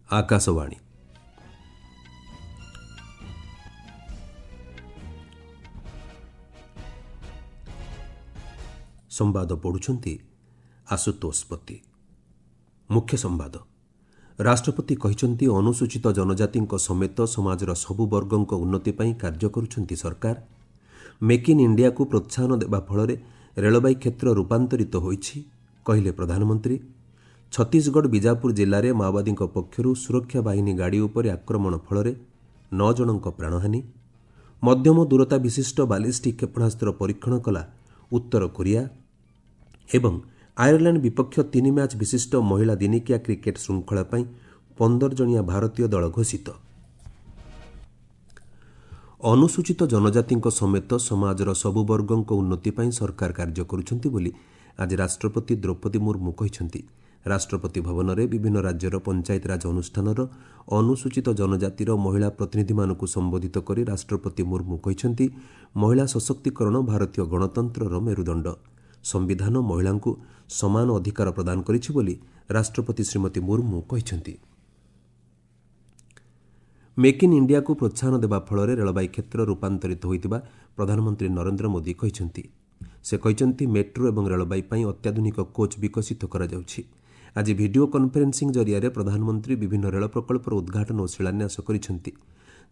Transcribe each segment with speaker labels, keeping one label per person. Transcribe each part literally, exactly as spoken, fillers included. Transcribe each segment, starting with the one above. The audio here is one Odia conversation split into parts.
Speaker 1: ଆକାଶବାଣୀ। ସମ୍ବାଦ ପଢ଼ୁଛନ୍ତି ଆଶୁତୋଷ ପତି। ମୁଖ୍ୟ ସମ୍ବାଦ। ରାଷ୍ଟ୍ରପତି କହିଛନ୍ତି, ଅନୁସୂଚିତ ଜନଜାତିଙ୍କ ସମେତ ସମାଜର ସବୁ ବର୍ଗଙ୍କ ଉନ୍ନତି ପାଇଁ କାର୍ଯ୍ୟ କରୁଛନ୍ତି ସରକାର। ମେକ୍ ଇନ୍ ଇଣ୍ଡିଆକୁ ପ୍ରୋତ୍ସାହନ ଦେବା ଫଳରେ ରେଳବାଇ କ୍ଷେତ୍ର ରୂପାନ୍ତରିତ ହୋଇଛି, କହିଲେ ପ୍ରଧାନମନ୍ତ୍ରୀ। ଛତିଶଗଡ଼ ବିଜାପୁର ଜିଲ୍ଲାରେ ମାଓବାଦୀଙ୍କ ପକ୍ଷରୁ ସୁରକ୍ଷା ବାହିନୀ ଗାଡ଼ି ଉପରେ ଆକ୍ରମଣ ଫଳରେ ନଅ ଜଣଙ୍କ ପ୍ରାଣହାନି। ମଧ୍ୟମ ଦୂରତା ବିଶିଷ୍ଟ ବାଲିଷ୍ଟିକ୍ କ୍ଷେପଣାସ୍ତ୍ର ପରୀକ୍ଷଣ କଲା ଉତ୍ତର କୋରିଆ। ଏବଂ ଆୟାରଲାଣ୍ଡ ବିପକ୍ଷ ତିନି ମ୍ୟାଚ୍ ବିଶିଷ୍ଟ ମହିଳା ଦିନିକିଆ କ୍ରିକେଟ୍ ଶୃଙ୍ଖଳା ପାଇଁ ପନ୍ଦର ଜଣିଆ ଭାରତୀୟ ଦଳ ଘୋଷିତ। ଅନୁସୂଚିତ ଜନଜାତିଙ୍କ ସମେତ ସମାଜର ସବୁ ବର୍ଗଙ୍କ ଉନ୍ନତି ପାଇଁ ସରକାର କାର୍ଯ୍ୟ କରୁଛନ୍ତି ବୋଲି ଆଜି ରାଷ୍ଟ୍ରପତି ଦ୍ରୌପଦୀ ମୁର୍ମୁ କହିଛନ୍ତି। ରାଷ୍ଟ୍ରପତି ଭବନରେ ବିଭିନ୍ନ ରାଜ୍ୟର ପଞ୍ଚାୟତିରାଜ ଅନୁଷ୍ଠାନର ଅନୁସୂଚିତ ଜନଜାତିର ମହିଳା ପ୍ରତିନିଧିମାନଙ୍କୁ ସମ୍ବୋଧିତ କରି ରାଷ୍ଟ୍ରପତି ମୁର୍ମୁ କହିଛନ୍ତି, ମହିଳା ସଶକ୍ତିକରଣ ଭାରତୀୟ ଗଣତନ୍ତ୍ରର ମେରୁଦଣ୍ଡ। ସମ୍ବିଧାନ ମହିଳାଙ୍କୁ ସମାନ ଅଧିକାର ପ୍ରଦାନ କରିଛି ବୋଲି ରାଷ୍ଟ୍ରପତି ଶ୍ରୀମତୀ ମୁର୍ମୁ କହିଛନ୍ତି। ମେକ୍ ଇନ୍ ଇଣ୍ଡିଆକୁ ପ୍ରୋତ୍ସାହନ ଦେବା ଫଳରେ ରେଳବାଇ କ୍ଷେତ୍ର ରୂପାନ୍ତରିତ ହୋଇଥିବା ପ୍ରଧାନମନ୍ତ୍ରୀ ନରେନ୍ଦ୍ର ମୋଦି କହିଛନ୍ତି। ସେ କହିଛନ୍ତି, ମେଟ୍ରୋ ଏବଂ ରେଳବାଇ ପାଇଁ ଅତ୍ୟାଧୁନିକ କୋଚ୍ ବିକଶିତ କରାଯାଉଛି। ଆଜି ଭିଡିଓ କନ୍ଫରେନ୍ସିଂ ଜରିଆରେ ପ୍ରଧାନମନ୍ତ୍ରୀ ବିଭିନ୍ନ ରେଳ ପ୍ରକଳ୍ପର ଉଦ୍ଘାଟନ ଓ ଶିଳାନ୍ୟାସ କରିଛନ୍ତି।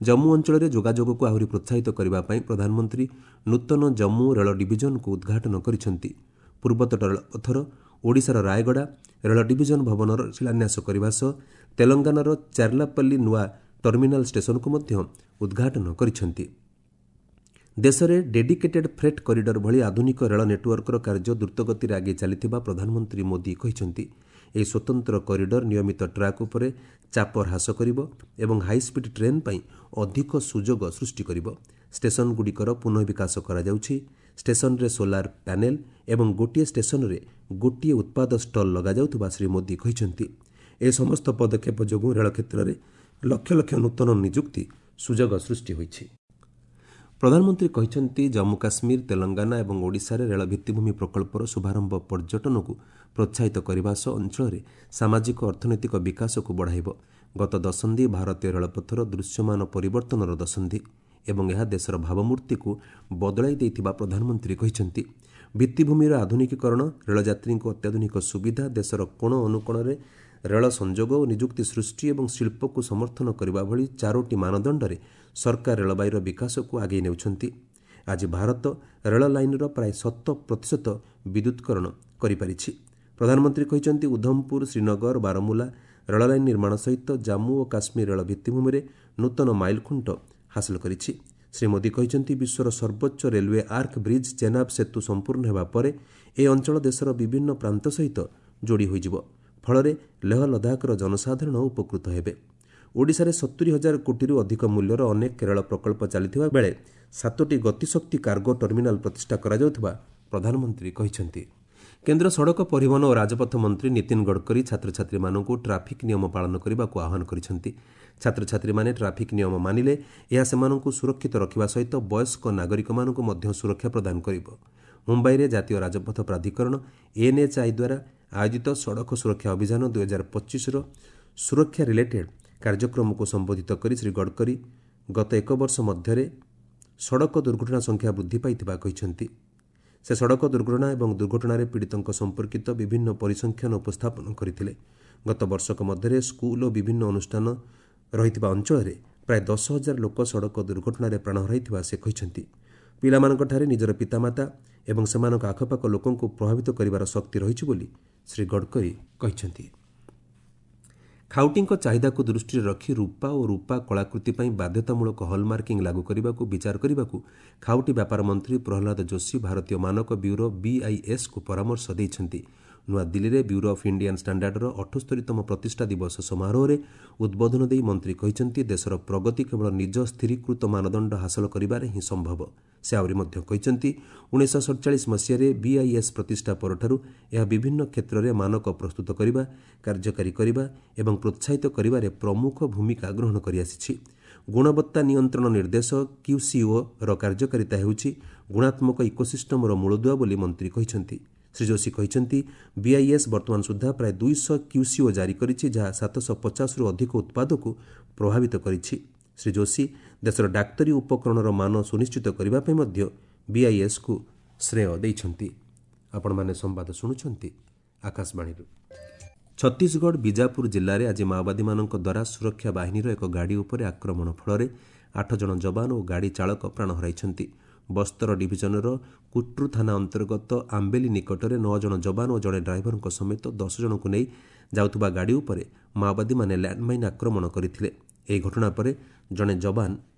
Speaker 1: ଜମ୍ମୁ ଅଞ୍ଚଳରେ ଯୋଗାଯୋଗକୁ ଆହୁରି ପ୍ରୋତ୍ସାହିତ କରିବା ପାଇଁ ପ୍ରଧାନମନ୍ତ୍ରୀ ନୂତନ ଜମ୍ମୁ ରେଳ ଡିଭିଜନକୁ ଉଦ୍ଘାଟନ କରିଛନ୍ତି। ପୂର୍ବତଟ ରେଳପଥର ଓଡ଼ିଶାର ରାୟଗଡ଼ା ରେଳ ଡିଭିଜନ ଭବନର ଶିଳାନ୍ୟାସ କରିବା ସହ ତେଲଙ୍ଗାନାର ଚାର୍ଲାପଲ୍ଲୀ ନୂଆ ଟର୍ମିନାଲ ଷ୍ଟେସନକୁ ମଧ୍ୟ ଉଦ୍ଘାଟନ କରିଛନ୍ତି। ଦେଶରେ ଡେଡିକେଟେଡ୍ ଫ୍ରେଟ୍ କରିଡର ଭଳି ଆଧୁନିକ ରେଳ ନେଟୱାର୍କର କାର୍ଯ୍ୟ ଦ୍ରୁତଗତିରେ ଆଗେଇ ଚାଲିଥିବା ପ୍ରଧାନମନ୍ତ୍ରୀ ମୋଦି କହିଛନ୍ତି। ଏହି ସ୍ୱତନ୍ତ୍ର କରିଡର ନିୟମିତ ଟ୍ରାକ୍ ଉପରେ ଚାପ ହ୍ରାସ କରିବ ଏବଂ ହାଇସ୍ପିଡ୍ ଟ୍ରେନ୍ ପାଇଁ ଅଧିକ ସୁଯୋଗ ସୃଷ୍ଟି କରିବ। ଷ୍ଟେସନଗୁଡ଼ିକର ପୁନଃବିକାଶ କରାଯାଉଛି। ଷ୍ଟେସନରେ ସୋଲାର ପ୍ୟାନେଲ ଏବଂ ଗୋଟିଏ ଷ୍ଟେସନରେ ଗୋଟିଏ ଉତ୍ପାଦ ଷ୍ଟଲ୍ ଲଗାଯାଉଥିବା ଶ୍ରୀ ମୋଦି କହିଛନ୍ତି। ଏ ସମସ୍ତ ପଦକ୍ଷେପ ଯୋଗୁଁ ରେଳ କ୍ଷେତ୍ରରେ ଲକ୍ଷ ଲକ୍ଷ ନୂତନ ନିଯୁକ୍ତି ସୁଯୋଗ ସୃଷ୍ଟି ହୋଇଛି। ପ୍ରଧାନମନ୍ତ୍ରୀ କହିଛନ୍ତି, ଜମ୍ମୁ କାଶ୍ମୀର, ତେଲଙ୍ଗାନା ଏବଂ ଓଡ଼ିଶାରେ ରେଳ ଭିତ୍ତିଭୂମି ପ୍ରକଳ୍ପର ଶୁଭାରମ୍ଭ ପର୍ଯ୍ୟଟନକୁ ପ୍ରୋତ୍ସାହିତ କରିବା ସହ ଅଞ୍ଚଳରେ ସାମାଜିକ ଅର୍ଥନୈତିକ ବିକାଶକୁ ବଢ଼ାଇବ। ଗତ ଦଶନ୍ଧି ଭାରତୀୟ ରେଳପଥର ଦୃଶ୍ୟମାନ ପରିବର୍ତ୍ତନର ଦଶନ୍ଧି ଏବଂ ଏହା ଦେଶର ଭାବମୂର୍ତ୍ତିକୁ ବଦଳାଇ ଦେଇଥିବା ପ୍ରଧାନମନ୍ତ୍ରୀ କହିଛନ୍ତି। ଭିତ୍ତିଭୂମିର ଆଧୁନିକୀକରଣ, ରେଳଯାତ୍ରୀଙ୍କୁ ଅତ୍ୟାଧୁନିକ ସୁବିଧା, ଦେଶର କୋଣ ଅନୁକୋଣରେ ରେଳ ସଂଯୋଗ ଓ ନିଯୁକ୍ତି ସୃଷ୍ଟି ଏବଂ ଶିଳ୍ପକୁ ସମର୍ଥନ କରିବା ଭଳି ଚାରୋଟି ମାନଦଣ୍ଡରେ ସରକାର ରେଳବାଇର ବିକାଶକୁ ଆଗେଇ ନେଉଛନ୍ତି। ଆଜି ଭାରତ ରେଳ ଲାଇନ୍ର ପ୍ରାୟ ଶତ ପ୍ରତିଶତ ବିଦ୍ୟୁତ୍କରଣ କରିପାରିଛି। ପ୍ରଧାନମନ୍ତ୍ରୀ କହିଛନ୍ତି, ଉଧମପୁର, ଶ୍ରୀନଗର, ବାରମୁଲା ରେଳ ଲାଇନ୍ ନିର୍ମାଣ ସହିତ ଜାମ୍ମୁ ଓ କାଶ୍ମୀର ରେଳ ଭିତ୍ତିଭୂମିରେ ନୂତନ ମାଇଲଖୁଣ୍ଟ ହାସଲ କରିଛି। ଶ୍ରୀ ମୋଦି କହିଛନ୍ତି, ବିଶ୍ୱର ସର୍ବୋଚ୍ଚ ରେଲୱେ ଆର୍କ ବ୍ରିଜ୍ ଚେନାବ ସେତୁ ସମ୍ପୂର୍ଣ୍ଣ ହେବା ପରେ ଏହି ଅଞ୍ଚଳ ଦେଶର ବିଭିନ୍ନ ପ୍ରାନ୍ତ ସହିତ ଯୋଡ଼ି ହୋଇଯିବ। ଫଳରେ ଲେହ ଲଦାଖର ଜନସାଧାରଣ ଉପକୃତ ହେବେ। ଓଡ଼ିଶାରେ ସତୁରି ହଜାର କୋଟିରୁ ଅଧିକ ମୂଲ୍ୟର ଅନେକ ରେଳ ପ୍ରକଳ୍ପ ଚାଲିଥିବା ବେଳେ ସାତୋଟି ଗତିଶକ୍ତି କାର୍ଗୋ ଟର୍ମିନାଲ ପ୍ରତିଷ୍ଠା କରାଯାଉଥିବା ପ୍ରଧାନମନ୍ତ୍ରୀ କହିଛନ୍ତି। କେନ୍ଦ୍ର ସଡ଼କ ପରିବହନ ଓ ରାଜପଥ ମନ୍ତ୍ରୀ ନୀତିନ ଗଡ଼କରୀ ଛାତ୍ରଛାତ୍ରୀମାନଙ୍କୁ ଟ୍ରାଫିକ୍ ନିୟମ ପାଳନ କରିବାକୁ ଆହ୍ୱାନ କରିଛନ୍ତି। ଛାତ୍ରଛାତ୍ରୀମାନେ ଟ୍ରାଫିକ୍ ନିୟମ ମାନିଲେ ଏହା ସେମାନଙ୍କୁ ସୁରକ୍ଷିତ ରଖିବା ସହିତ ବୟସ୍କ ନାଗରିକମାନଙ୍କୁ ମଧ୍ୟ ସୁରକ୍ଷା ପ୍ରଦାନ କରିବ। ମୁମ୍ବାଇରେ ଜାତୀୟ ରାଜପଥ ପ୍ରାଧିକରଣ ଏନ୍ଏଚ୍ଆଇ ଦ୍ୱାରା ଆୟୋଜିତ ସଡ଼କ ସୁରକ୍ଷା ଅଭିଯାନ ଦୁଇହଜାର ପଚିଶର ସୁରକ୍ଷା ରିଲେଟେଡ୍ କାର୍ଯ୍ୟକ୍ରମକୁ ସମ୍ବୋଧିତ କରି ଶ୍ରୀ ଗଡ଼କରୀ ଗତ ଏକ ବର୍ଷ ମଧ୍ୟରେ ସଡ଼କ ଦୁର୍ଘଟଣା ସଂଖ୍ୟା ବୃଦ୍ଧି ପାଇଥିବା କହିଛନ୍ତି। ସେ ସଡ଼କ ଦୁର୍ଘଟଣା ଏବଂ ଦୁର୍ଘଟଣାରେ ପୀଡ଼ିତଙ୍କ ସମ୍ପର୍କିତ ବିଭିନ୍ନ ପରିସଂଖ୍ୟାନ ଉପସ୍ଥାପନ କରିଥିଲେ। ଗତ ବର୍ଷକ ମଧ୍ୟରେ ସ୍କୁଲ ଓ ବିଭିନ୍ନ ଅନୁଷ୍ଠାନ ରହିଥିବା ଅଞ୍ଚଳରେ ପ୍ରାୟ ଦଶ ହଜାର ଲୋକ ସଡ଼କ ଦୁର୍ଘଟଣାରେ ପ୍ରାଣ ହରାଇଥିବା ସେ କହିଛନ୍ତି। ପିଲାମାନଙ୍କଠାରେ ନିଜର ପିତାମାତା ଏବଂ ସେମାନଙ୍କ ଆଖପାଖ ଲୋକଙ୍କୁ ପ୍ରଭାବିତ କରିବାର ଶକ୍ତି ରହିଛି ବୋଲି ଶ୍ରୀ ଗଡ଼କରୀ କହିଛନ୍ତି। ଖାଉଟିଙ୍କ ଚାହିଦାକୁ ଦୃଷ୍ଟିରେ ରଖି ରୂପା ଓ ରୂପା କଳାକୃତି ପାଇଁ ବାଧ୍ୟତାମୂଳକ ହଲ୍ମାର୍କିଂ ଲାଗୁ କରିବାକୁ ବିଚାର କରିବାକୁ ଖାଉଟି ବ୍ୟାପାର ମନ୍ତ୍ରୀ ପ୍ରହ୍ଲାଦ ଯୋଶୀ ଭାରତୀୟ ମାନକ ବ୍ୟୁରୋ ବିଆଇଏସ୍କୁ ପରାମର୍ଶ ଦେଇଛନ୍ତି। ନୂଆଦିଲ୍ଲୀରେ ବ୍ୟୁରୋ ଅଫ୍ ଇଣ୍ଡିଆନ୍ ଷ୍ଟାଣ୍ଡାର୍ଡର ଅଠସ୍ତରୀତମ ପ୍ରତିଷ୍ଠା ଦିବସ ସମାରୋହରେ ଉଦ୍ବୋଧନ ଦେଇ ମନ୍ତ୍ରୀ କହିଛନ୍ତି, ଦେଶର ପ୍ରଗତି କେବଳ ନିଜ ସ୍ଥିରୀକୃତ ମାନଦଣ୍ଡ ହାସଲ କରିବାରେ ହିଁ ସମ୍ଭବ। ସେ ଆହୁରି ମଧ୍ୟ କହିଛନ୍ତି, ଉଣେଇଶହ ସଡ଼ଚାଳିଶ ମସିହାରେ ବିଆଇଏସ୍ ପ୍ରତିଷ୍ଠା ପରଠାରୁ ଏହା ବିଭିନ୍ନ କ୍ଷେତ୍ରରେ ମାନକ ପ୍ରସ୍ତୁତ କରିବା, କାର୍ଯ୍ୟକାରୀ କରିବା ଏବଂ ପ୍ରୋତ୍ସାହିତ କରିବାରେ ପ୍ରମୁଖ ଭୂମିକା ଗ୍ରହଣ କରିଆସିଛି। ଗୁଣବତ୍ତା ନିୟନ୍ତ୍ରଣ ନିର୍ଦ୍ଦେଶ କ୍ୟୁସିଓର କାର୍ଯ୍ୟକାରିତା ହେଉଛି ଗୁଣାତ୍ମକ ଇକୋସିଷ୍ଟମର ମୂଳଦୁଆ ବୋଲି ମନ୍ତ୍ରୀ କହିଛନ୍ତି। ଶ୍ରୀ ଯୋଶୀ କହିଛନ୍ତି, ବିଆଇଏସ୍ ବର୍ତ୍ତମାନ ସୁଦ୍ଧା ପ୍ରାୟ ଦୁଇଶହ କ୍ୟୁସିଓ ଜାରି କରିଛି, ଯାହା ସାତଶହ ପଚାଶରୁ ଅଧିକ ଉତ୍ପାଦକୁ ପ୍ରଭାବିତ କରିଛି। ଶ୍ରୀ ଯୋଶୀ ଦେଶର ଡାକ୍ତରୀ ଉପକରଣର ମାନ ସୁନିଶ୍ଚିତ କରିବା ପାଇଁ ମଧ୍ୟ ବିଆଇଏସ୍କୁ ଶ୍ରେୟ ଦେଇଛନ୍ତି। ଆପଣମାନେ ସମ୍ବାଦ ଶୁଣୁଛନ୍ତି ଆକାଶବାଣୀରୁ। ଛତିଶଗଡ଼ ବିଜାପୁର ଜିଲ୍ଲାରେ ଆଜି ମାଓବାଦୀମାନଙ୍କ ଦ୍ୱାରା ସୁରକ୍ଷା ବାହିନୀର ଏକ ଗାଡ଼ି ଉପରେ ଆକ୍ରମଣ ଫଳରେ ଆଠ ଜଣ ଯବାନ ଓ ଗାଡ଼ି ଚାଳକ ପ୍ରାଣ ହରାଇଛନ୍ତି। ବସ୍ତର ଡିଭିଜନର କୁଟ୍ରୁ ଥାନା ଅନ୍ତର୍ଗତ ଆମ୍ବେଲି ନିକଟରେ ନଅ ଜଣ ଯବାନ ଓ ଜଣେ ଡ୍ରାଇଭରଙ୍କ ସମେତ ଦଶ ଜଣଙ୍କୁ ନେଇ ଯାଉଥିବା ଗାଡ଼ି ଉପରେ ମାଓବାଦୀମାନେ ଲ୍ୟାଣ୍ଡମାଇନ୍ ଆକ୍ରମଣ କରିଥିଲେ। ଏହି ଘଟଣା ପରେ ଜଣେ ଯବାନ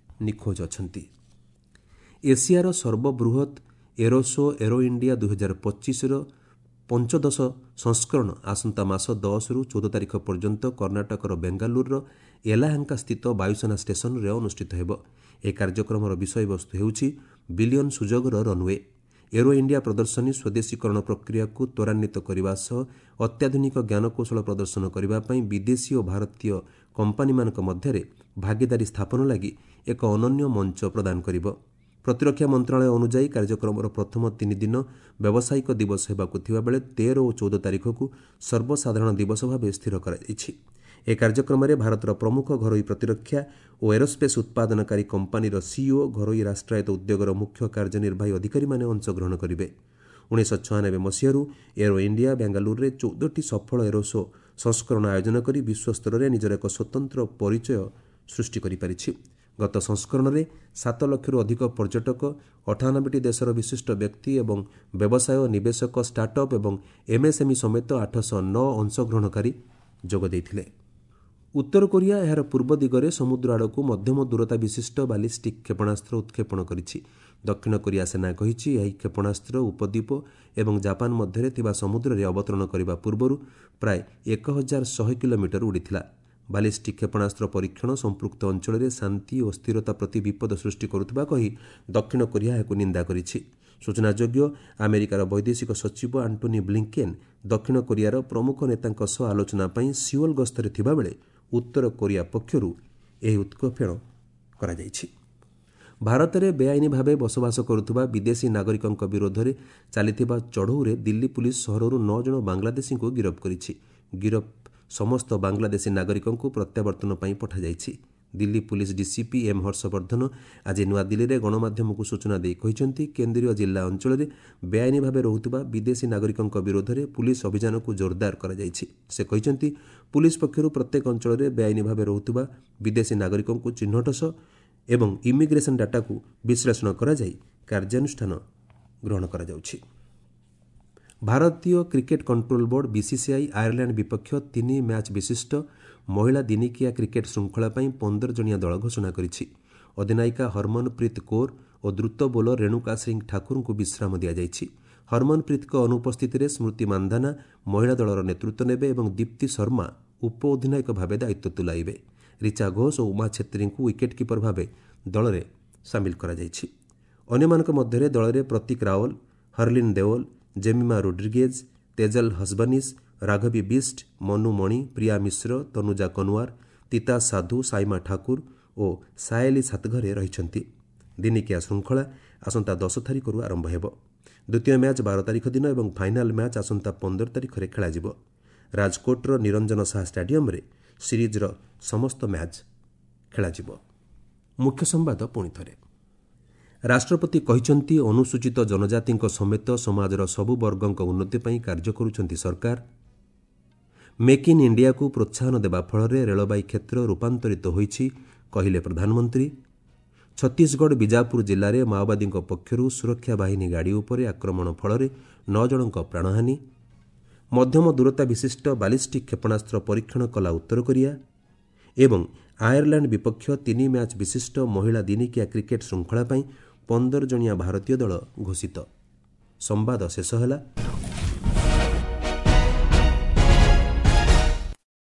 Speaker 1: ନିଖୋଜ ଅଛନ୍ତି। ଏସିଆର ସର୍ବବୃହତ୍ ଏରୋସୋ ଏରୋ ଇଣ୍ଡିଆ ଦୁଇହଜାର ପଚିଶର ପଞ୍ଚଦଶ ସଂସ୍କରଣ ଆସନ୍ତା ମାସ ଦଶରୁ ଚଉଦ ତାରିଖ ପର୍ଯ୍ୟନ୍ତ କର୍ଣ୍ଣାଟକର ବେଙ୍ଗାଲୁରୁର ଏଲାହାଙ୍କା ସ୍ଥିତ ବାୟୁସେନା ଷ୍ଟେସନରେ ଅନୁଷ୍ଠିତ ହେବ। ଏହି କାର୍ଯ୍ୟକ୍ରମର ବିଷୟବସ୍ତୁ ହେଉଛି ବିଲିୟନ ସୁଯୋଗର ରନ୍ୱେ। ଏରୋ ଇଣ୍ଡିଆ ପ୍ରଦର୍ଶନୀ ସ୍ୱଦେଶୀକରଣ ପ୍ରକ୍ରିୟାକୁ ତ୍ୱରାନ୍ୱିତ କରିବା ସହ ଅତ୍ୟାଧୁନିକ ଜ୍ଞାନକୌଶଳ ପ୍ରଦର୍ଶନ କରିବା ପାଇଁ ବିଦେଶୀ ଓ ଭାରତୀୟ କମ୍ପାନୀମାନଙ୍କ ମଧ୍ୟରେ ଭାଗିଦାରୀ ସ୍ଥାପନ ଲାଗି ଏକ ଅନନ୍ୟ ମଞ୍ଚ ପ୍ରଦାନ କରିବ। ପ୍ରତିରକ୍ଷା ମନ୍ତ୍ରଣାଳୟ ଅନୁଯାୟୀ କାର୍ଯ୍ୟକ୍ରମର ପ୍ରଥମ ତିନି ଦିନ ବ୍ୟବସାୟିକ ଦିବସ ହେବାକୁ ଥିବାବେଳେ ତେର ଓ ଚଉଦ ତାରିଖକୁ ସର୍ବସାଧାରଣ ଦିବସ ଭାବେ ସ୍ଥିର କରାଯାଇଛି। ଏହି କାର୍ଯ୍ୟକ୍ରମରେ ଭାରତର ପ୍ରମୁଖ ଘରୋଇ ପ୍ରତିରକ୍ଷା ଓ ଏରୋସ୍ପେସ୍ ଉତ୍ପାଦନକାରୀ କମ୍ପାନୀର ସିଇଓ, ଘରୋଇ ରାଷ୍ଟ୍ରାୟତ୍ତ ଉଦ୍ୟୋଗର ମୁଖ୍ୟ କାର୍ଯ୍ୟନିର୍ବାହୀ ଅଧିକାରୀମାନେ ଅଂଶଗ୍ରହଣ କରିବେ। ଉଣେଇଶହ ଛୟାନବେ ମସିହାରୁ ଏରୋ ଇଣ୍ଡିଆ ବେଙ୍ଗାଲୁରୁରେ ଚଉଦଟି ସଫଳ ଏରୋସୋ ସଂସ୍କରଣ ଆୟୋଜନ କରି ବିଶ୍ୱସ୍ତରରେ ନିଜର ଏକ ସ୍ୱତନ୍ତ୍ର ପରିଚୟ ସୃଷ୍ଟି କରିପାରିଛି। ଗତ ସଂସ୍କରଣରେ ସାତ ଲକ୍ଷରୁ ଅଧିକ ପର୍ଯ୍ୟଟକ, ଅଠାନବେଟି ଦେଶର ବିଶିଷ୍ଟ ବ୍ୟକ୍ତି ଏବଂ ବ୍ୟବସାୟ, ନିବେଶକ, ଷ୍ଟାର୍ଟଅପ୍ ଏବଂ ଏମ୍ଏସ୍ଏମ୍ଇ ସମେତ ଆଠଶହ ନଅ ଅଂଶଗ୍ରହଣକାରୀ ଯୋଗ ଦେଇଥିଲେ। ଉତ୍ତର କୋରିଆ ଏହାର ପୂର୍ବ ଦିଗରେ ସମୁଦ୍ର ଆଡ଼କୁ ମଧ୍ୟମ ଦୂରତା ବିଶିଷ୍ଟ ବାଲିଷ୍ଟିକ୍ କ୍ଷେପଣାସ୍ତ୍ର ଉତ୍କ୍ଷେପଣ କରିଛି। ଦକ୍ଷିଣ କୋରିଆ ସେନା କହିଛି, ଏହି କ୍ଷେପଣାସ୍ତ୍ର ଉପଦ୍ୱୀପ ଏବଂ ଜାପାନ ମଧ୍ୟରେ ଥିବା ସମୁଦ୍ରରେ ଅବତରଣ କରିବା ପୂର୍ବରୁ ପ୍ରାୟ ଏକ ହଜାର ଶହେ କିଲୋମିଟର ଉଡ଼ିଥିଲା। ବାଲିଷ୍ଟିକ୍ କ୍ଷେପଣାସ୍ତ୍ର ପରୀକ୍ଷଣ ସମ୍ପୃକ୍ତ ଅଞ୍ଚଳରେ ଶାନ୍ତି ଓ ସ୍ଥିରତା ପ୍ରତି ବିପଦ ସୃଷ୍ଟି କରୁଥିବା କହି ଦକ୍ଷିଣ କୋରିଆ ଏହାକୁ ନିନ୍ଦା କରିଛି। ସୂଚନାଯୋଗ୍ୟ, ଆମେରିକାର ବୈଦେଶିକ ସଚିବ ଆଣ୍ଟୋନି ବ୍ଲିଙ୍କେନ୍ ଦକ୍ଷିଣ କୋରିଆର ପ୍ରମୁଖ ନେତାଙ୍କ ସହ ଆଲୋଚନା ପାଇଁ ସିଓଲ ଗସ୍ତରେ ଥିବାବେଳେ ଉତ୍ତର କୋରିଆ ପକ୍ଷରୁ ଏହି ଉତ୍କ୍ଷେପଣ କରାଯାଇଛି। ଭାରତରେ ବେଆଇନ ଭାବେ ବସବାସ କରୁଥିବା ବିଦେଶୀ ନାଗରିକଙ୍କ ବିରୋଧରେ ଚାଲିଥିବା ଚଢ଼ଉରେ ଦିଲ୍ଲୀ ପୁଲିସ୍ ସହରରୁ ନଅ ଜଣ ବାଂଲାଦେଶୀଙ୍କୁ ଗିରଫ କରିଛି। ଗିରଫ ସମସ୍ତ ବାଂଲାଦେଶୀ ନାଗରିକଙ୍କୁ ପ୍ରତ୍ୟାବର୍ତ୍ତନ ପାଇଁ ପଠାଯାଇଛି। Delhi police DCP M Harshvardhan ଆଜି ନୂଆଦିଲ୍ଲୀରେ ଗଣମାଧ୍ୟମକୁ ସୂଚନା ଦେଇ କହିଛନ୍ତି, କେନ୍ଦ୍ରୀୟ ଜିଲ୍ଲା ଅଞ୍ଚଳରେ ବେଆଇନ ଭାବେ ରହୁଥିବା ବିଦେଶୀ ନାଗରିକଙ୍କ ବିରୋଧରେ ପୁଲିସ୍ ଅଭିଯାନକୁ ଜୋରଦାର କରାଯାଇଛି। ସେ କହିଛନ୍ତି, ପୁଲିସ୍ ପକ୍ଷରୁ ପ୍ରତ୍ୟେକ ଅଞ୍ଚଳରେ ବେଆଇନ ଭାବେ ରହୁଥିବା ବିଦେଶୀ ନାଗରିକଙ୍କୁ ଚିହ୍ନଟ ସହ ଏବଂ ଇମିଗ୍ରେସନ୍ ଡାଟାକୁ ବିଶ୍ଳେଷଣ କରାଯାଇ କାର୍ଯ୍ୟାନୁଷ୍ଠାନ ଗ୍ରହଣ କରାଯାଉଛି। ଭାରତୀୟ cricket control board BCCI Ireland ବିପକ୍ଷ ତିନି ମ୍ୟାଚ୍ ବିଶିଷ୍ଟ ମହିଳା ଦିନିକିଆ କ୍ରିକେଟ୍ ଶୃଙ୍ଖଳା ପାଇଁ ପନ୍ଦର ଜଣିଆ ଦଳ ଘୋଷଣା କରିଛି। ଅଧିନାୟିକା ହରମନପ୍ରୀତ କୌର ଓ ଦ୍ରୁତ ବୋଲର ରେଣୁକା ସିଂ ଠାକୁରଙ୍କୁ ବିଶ୍ରାମ ଦିଆଯାଇଛି। ହରମନପ୍ରୀତଙ୍କ ଅନୁପସ୍ଥିତିରେ ସ୍ମୃତି ମାନ୍ଧାନା ମହିଳା ଦଳର ନେତୃତ୍ୱ ନେବେ ଏବଂ ଦୀପ୍ତି ଶର୍ମା ଉପ ଅଧିନାୟକ ଭାବେ ଦାୟିତ୍ୱ ତୁଲାଇବେ। ରିଚା ଘୋଷ ଓ ଉମା ଛେତ୍ରୀଙ୍କୁ ୱିକେଟ୍ କିପର ଭାବେ ଦଳରେ ସାମିଲ କରାଯାଇଛି। ଅନ୍ୟମାନଙ୍କ ମଧ୍ୟରେ ଦଳରେ ପ୍ରତୀକ ରାୱଲ, ହରଲିନ୍ ଦେଓଲ, ଜେମିମା ରୋଡ୍ରିଗେଜ୍, ତେଜଲ ହସବନିସ୍, ରାଘବୀ ବିଷ୍ଟ, ମନୁ ମଣି, ପ୍ରିୟା ମିଶ୍ର, ତନୁଜା କନୱାର, ତିତା ସାଧୁ, ସାଇମା ଠାକୁର ଓ ସାୟଲି ସାତଘରେ ରହିଛନ୍ତି। ଦିନିକିଆ ଶୃଙ୍ଖଳା ଆସନ୍ତା ଦଶ ତାରିଖରୁ ଆରମ୍ଭ ହେବ। ଦ୍ୱିତୀୟ ମ୍ୟାଚ୍ ବାର ତାରିଖ ଦିନ ଏବଂ ଫାଇନାଲ୍ ମ୍ୟାଚ୍ ଆସନ୍ତା ପନ୍ଦର ତାରିଖରେ ଖେଳାଯିବ। ରାଜକୋଟର ନିରଞ୍ଜନ ଶାହା ଷ୍ଟାଡିୟମରେ ସିରିଜ୍ର ସମସ୍ତ ମ୍ୟାଚ୍ ଖେଳାଯିବ। ମୁଖ୍ୟ ସମ୍ବାଦ ପୁଣି ଥରେ। ରାଷ୍ଟ୍ରପତି କହିଛନ୍ତି, ଅନୁସୂଚିତ ଜନଜାତିଙ୍କ ସମେତ ସମାଜର ସବୁ ବର୍ଗଙ୍କ ଉନ୍ନତି ପାଇଁ କାର୍ଯ୍ୟ କରୁଛନ୍ତି ସରକାର। ମେକ୍ ଇନ୍ ଇଣ୍ଡିଆକୁ ପ୍ରୋତ୍ସାହନ ଦେବା ଫଳରେ ରେଳବାଇ କ୍ଷେତ୍ର ରୂପାନ୍ତରିତ ହୋଇଛି, କହିଲେ ପ୍ରଧାନମନ୍ତ୍ରୀ। ଛତିଶଗଡ଼ ବିଜାପୁର ଜିଲ୍ଲାରେ ମାଓବାଦୀଙ୍କ ପକ୍ଷରୁ ସୁରକ୍ଷା ବାହିନୀ ଗାଡ଼ି ଉପରେ ଆକ୍ରମଣ ଫଳରେ ନଅ ଜଣଙ୍କ ପ୍ରାଣହାନି। ମଧ୍ୟମ ଦୂରତା ବିଶିଷ୍ଟ ବାଲିଷ୍ଟିକ୍ କ୍ଷେପଣାସ୍ତ୍ର ପରୀକ୍ଷଣ କଲା ଉତ୍ତର କୋରିଆ। ଏବଂ ଆୟାରଲାଣ୍ଡ ବିପକ୍ଷ ତିନି ମ୍ୟାଚ୍ ବିଶିଷ୍ଟ ମହିଳା ଦିନିକିଆ କ୍ରିକେଟ୍ ଶୃଙ୍ଖଳା ପାଇଁ ପନ୍ଦର ଜଣିଆ ଭାରତୀୟ ଦଳ ଘୋଷିତ। ସମ୍ବାଦ ଶେଷ ହେଲା।